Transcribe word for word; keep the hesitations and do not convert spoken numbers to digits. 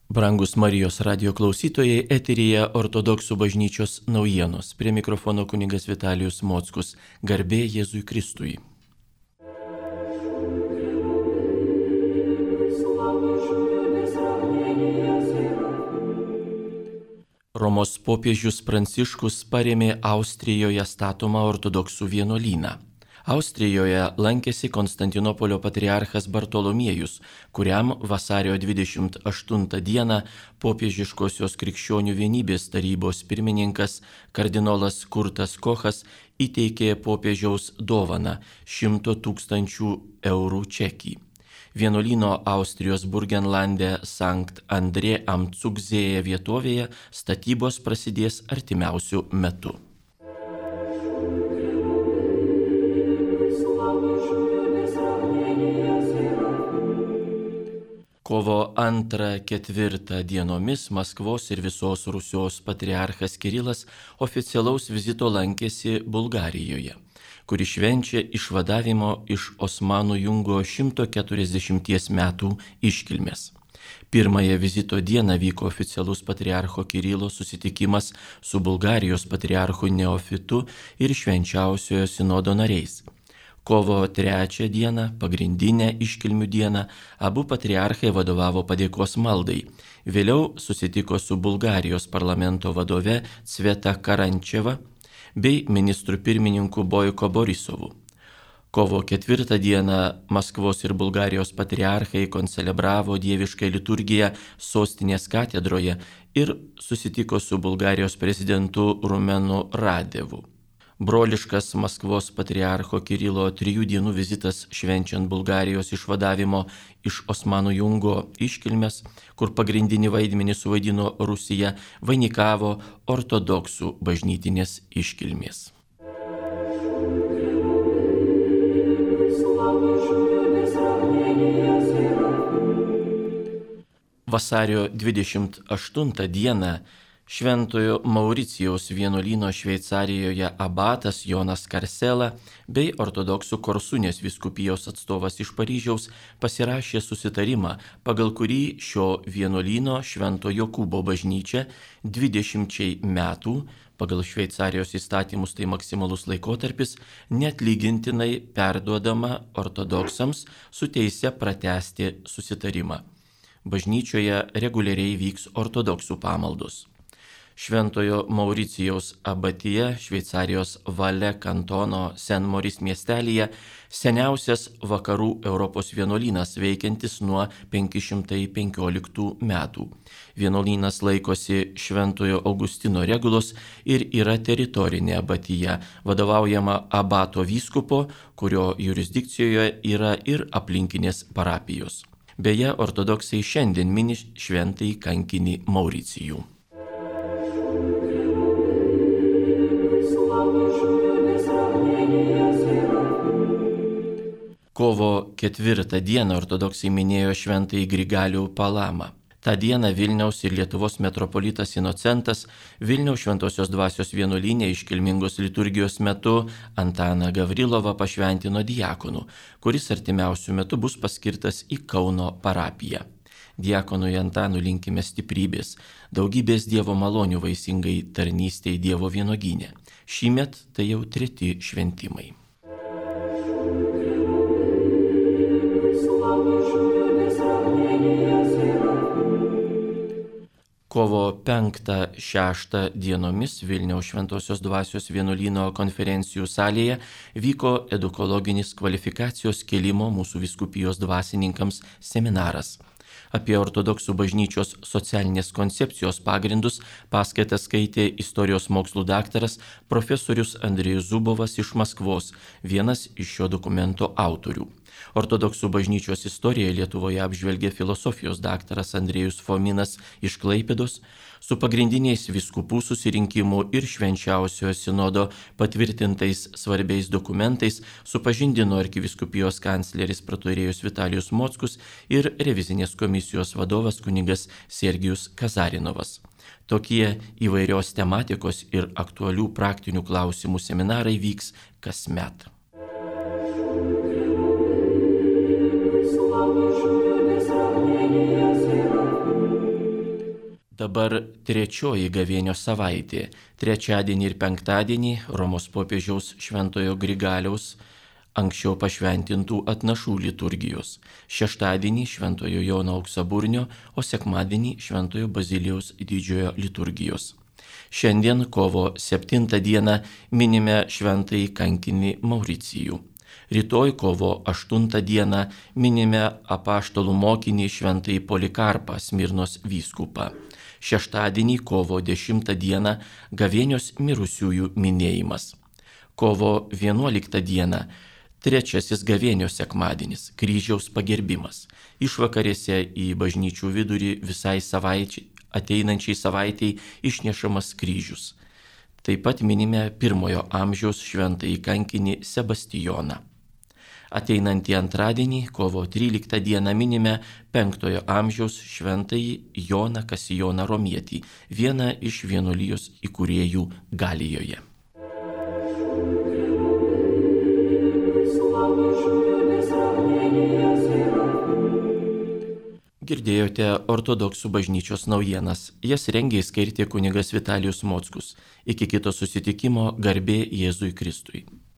Brangus Marijos radio klausytojai, eteryje Ortodoksų bažnyčios naujienos. Prie mikrofono kunigas Vitalijus Mockus. Garbė Jėzui Kristui. Romos popiežius Pranciškus parėmė Austrijoje statomą ortodoksų vienuolyną. Austrijoje lankėsi Konstantinopolio patriarchas Bartolomiejus, kuriam vasario dvidešimt aštuntą dieną popiežiškosios krikščionių vienybės tarybos pirmininkas kardinolas Kurtas Kochas įteikė popiežiaus dovaną šimto tūkstančių eurų čekį. Vienuolyno Austrijos Burgenlande Sankt Andrė am Zugzėje vietovėje statybos prasidės artimiausiu metu. Kovo antrą ketvirtą dienomis Maskvos ir visos Rusios patriarchas Kirilas oficialaus vizito lankėsi Bulgarijoje, kuri švenčia išvadavimo iš Osmanų jungo šimto keturiasdešimties metų iškilmės. Pirmąją vizito dieną vyko oficialus patriarcho Kirilo susitikimas su Bulgarijos patriarchu Neofitu ir švenčiausiojo sinodo nariais. Kovo trečią dieną, pagrindinę iškilmių dieną, abu patriarchai vadovavo padėkos maldai. Vėliau susitiko su Bulgarijos parlamento vadove Cveta Karančeva bei ministru pirmininku Bojko Borisovu. Kovo ketvirtą dieną Maskvos ir Bulgarijos patriarchai koncelebravo dievišką liturgiją sostinės katedroje ir susitiko su Bulgarijos prezidentu Rumenu Radevu. Broliškas Maskvos patriarcho Kirilo trijų dienų vizitas švenčiant Bulgarijos išvadavimo iš Osmanų jungo iškilmes, kur pagrindinį vaidmenį suvaidino Rusija, vainikavo ortodoksų bažnytinės iškilmės. Vasario dvidešimt aštuntą dieną Šventojo Mauricijaus vienuolyno Šveicarijoje abatas Jonas Karsela bei ortodoksų Korsunės vyskupijos atstovas iš Paryžiaus pasirašė susitarimą, pagal kurį šio vienuolyno Švento Jokūbo bažnyčia dvidešimčiai metų, pagal Šveicarijos įstatymus tai maksimalus laikotarpis, neatlygintinai perduodama ortodoksams su teise pratęsti susitarimą. Bažnyčioje reguliariai vyks ortodoksų pamaldos. Šventojo Mauricijaus abatija Šveicarijos Valė kantono Sen-Moris miestelyje seniausias vakarų Europos vienuolynas veikiantis nuo penki šimtai penkioliktų metų. Vienuolynas laikosi Šventojo Augustino regulos ir yra teritorinė abatija, vadovaujama abato vyskupo, kurio jurisdikcijoje yra ir aplinkinės parapijos. Beje, ortodoksai šiandien mini šventąjį kankinį Mauricijų. Kovo ketvirtą dieną ortodoksai minėjo šventąjį Grigalių Palamą. Ta diena Vilniaus ir Lietuvos metropolitas Inocentas Vilniaus Šventosios Dvasios vienuolyne iškilmingos liturgijos metu Antaną Gavrilovą pašventino diakonu, kuris artimiausiu metu bus paskirtas į Kauno parapiją. Diakonui Antanui linkime stiprybės, daugybės Dievo malonių vaisingai tarnystei Dievo vynuogyne. Šįmet tai jau treti šventimai. Kovo penktą šeštą dienomis Vilniaus Šventosios Dvasios vienuolyno konferencijų salėje vyko edukologinis kvalifikacijos kėlimo mūsų vyskupijos dvasininkams seminaras. Apie ortodoksų bažnyčios socialinės koncepcijos pagrindus paskaitą skaitė istorijos mokslų daktaras profesorius Andrejus Zubovas iš Maskvos, vienas iš šio dokumento autorių. Ortodoksų bažnyčios istoriją Lietuvoje apžvelgė filosofijos daktaras Andrejus Fominas iš Klaipėdos, su pagrindiniais vyskupų susirinkimų ir švenčiausiojo sinodo patvirtintais svarbiais dokumentais supažindino arkivyskupijos kancleris praturėjus Vitalijus Mockus ir revizinės komisijos vadovas kunigas Sergijus Kazarinovas. Tokie įvairios tematikos ir aktualių praktinių klausimų seminarai vyks kasmet. Dabar trečioji gavėnios savaitė. Trečiadienį ir penktadienį Romos popiežiaus Šventojo Grigaliaus anksčiau pašventintų atnašų liturgijos. Šeštadienį Šventojo Jono Auksaburnio, o sekmadienį Šventojo Bazilijaus didžiojo liturgijos. Šiandien kovo septintą dieną minime šventąjį kankinį Mauricijų. Rytoj kovo aštuntą dieną minime apaštalų mokinį šventąjį Polikarpą, Smirnos vyskupą. Šeštadienį kovo dešimtą dieną gavėnios mirusiųjų minėjimas. Kovo vienuoliktą dieną trečiasis gavėnios sekmadienis, kryžiaus pagerbimas. Išvakarėse į bažnyčių vidurį visai savaičiai, ateinančiai savaitei išnešamas kryžius. Taip pat minime pirmojo amžiaus šventąjį kankinį Sebastijoną. Ateinantį antradienį, kovo tryliktą dieną minime penktojo amžiaus šventąjį Joną Kasijoną Romietį, vieną iš vienuolijos įkūrėjų Galijoje. Girdėjote ortodoksų bažnyčios naujienas. Jas rengė ir skaitė kunigas Vitalijus Mockus. Iki kito susitikimo, garbė Jėzui Kristui.